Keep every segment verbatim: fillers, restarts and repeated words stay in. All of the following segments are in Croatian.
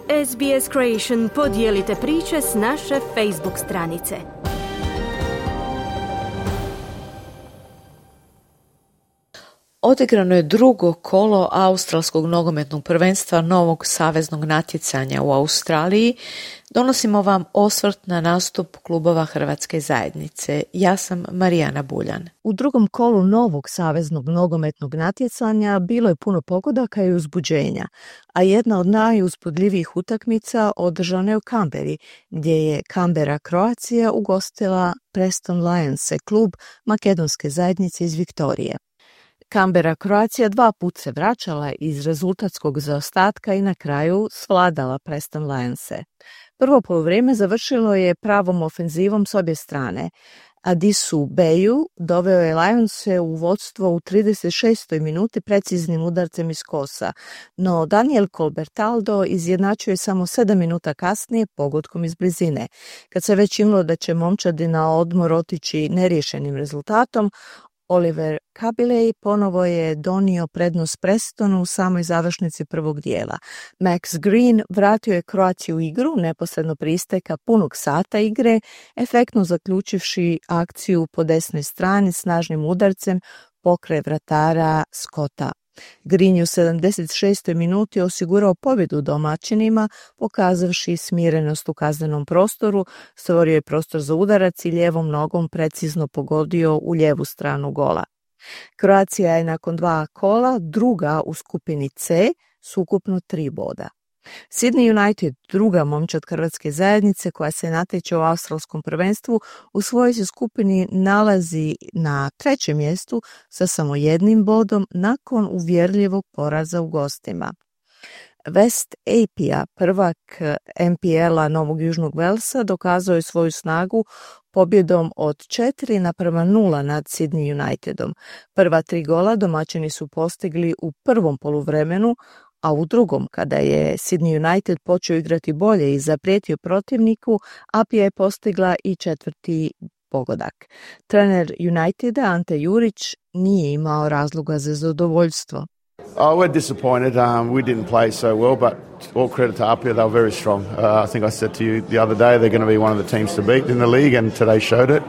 S B S Creation podijelite priče s naše Facebook stranice. Odigrano je drugo kolo australskog nogometnog prvenstva novog saveznog natjecanja u Australiji. Donosimo vam osvrt na nastup klubova Hrvatske zajednice. Ja sam Marijana Buljan. U drugom kolu novog saveznog nogometnog natjecanja bilo je puno pogodaka i uzbuđenja, a jedna od najuzbudljivijih utakmica održana je u Canberri, gdje je Canberra Croatia ugostila Preston Lionse, klub makedonske zajednice iz Viktorije. Canberra Croatia dva put se vraćala iz rezultatskog zaostatka i na kraju svladala Preston Lionse. Prvo poluvrijeme završilo je pravom ofenzivom s obje strane. Adisu Beju doveo je Lionse u vodstvo u trideset šestoj minuti preciznim udarcem iz kosa, no Daniel Colbertaldo izjednačuje samo sedam minuta kasnije pogodkom iz blizine. Kad se već imalo da će momčadi na odmor otići neriješenim rezultatom, Oliver Kabilej ponovo je donio prednost Prestonu u samoj završnici prvog dijela. Max Green vratio je Kroaciju u igru neposredno prije isteka punog sata igre, efektno zaključivši akciju po desnoj strani snažnim udarcem pokraj vratara Scotta. Green je u sedamdeset šestoj minuti osigurao pobjedu domaćinima, pokazavši smirenost u kaznenom prostoru, stvorio je prostor za udarac i lijevom nogom precizno pogodio u lijevu stranu gola. Kroacija je nakon dva kola druga u skupini C s ukupno tri boda. Sydney United, druga momčad Hrvatske zajednice koja se natječe u australskom prvenstvu, u svojoj se skupini nalazi na trećem mjestu sa samo jednim bodom nakon uvjerljivog poraza u gostima. West Apia, prvak M P L-a Novog Južnog Velsa, dokazao je svoju snagu pobjedom od četiri naprema nula nad Sydney Unitedom. Prva tri gola domaćini su postigli u prvom poluvremenu, a u drugom, kada je Sydney United počeo igrati bolje i zaprijetio protivniku, Apia je postigla i četvrti pogodak. Trener Uniteda Ante Jurić nije imao razloga za zadovoljstvo. Oh, we're disappointed. Um, we didn't play so well, but all credit to Apia, they were very strong. Uh, I think I said to you the other day they're going to be one of the teams to beat in the league, and today showed it.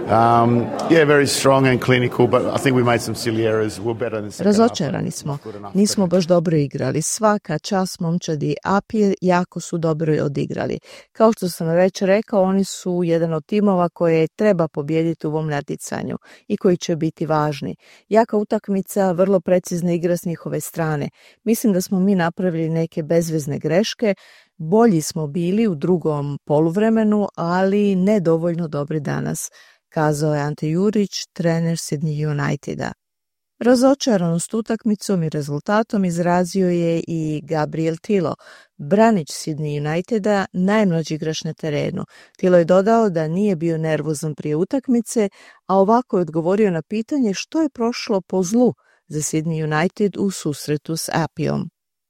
Um, yeah, very strong and clinical, but I think we made some silly errors. We're better than the second half. Razočarani smo. Nismo baš dobro igrali. Svaka čast momčadi Apije jako su dobro odigrali. Kao što sam već rekao, oni su jedan od timova koje treba pobijediti u ovom natjecanju i koji će biti važni. Jaka utakmica, vrlo precizna igra s njihove strane. Mislim da smo mi napravili neke bezvezne greške, bolji smo bili u drugom poluvremenu, ali ne dovoljno dobri danas, kazao je Ante Jurić, trener Sydney Uniteda. Razočaranost utakmicom i rezultatom izrazio je i Gabriel Tilo, branič Sydney Uniteda, najmlađi igrač na terenu. Tilo je dodao da nije bio nervozan prije utakmice, a ovako je odgovorio na pitanje što je prošlo po zlu za Sydney United u susretu s Apijom.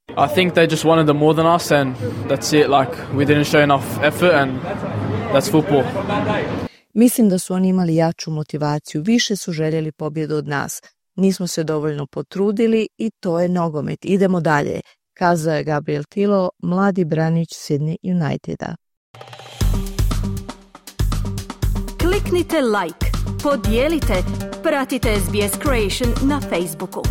I think they just wanted them more than us, and that's it. Like, we didn't show enough effort, and that's football. Mislim da su oni imali jaču motivaciju, više su željeli pobjedu od nas. Nismo se dovoljno potrudili i to je nogomet. Idemo dalje, kazao je Gabriel Tilo, mladi branič Sydney Uniteda. Kliknite like, podijelite, pratite S B S Creation na Facebooku.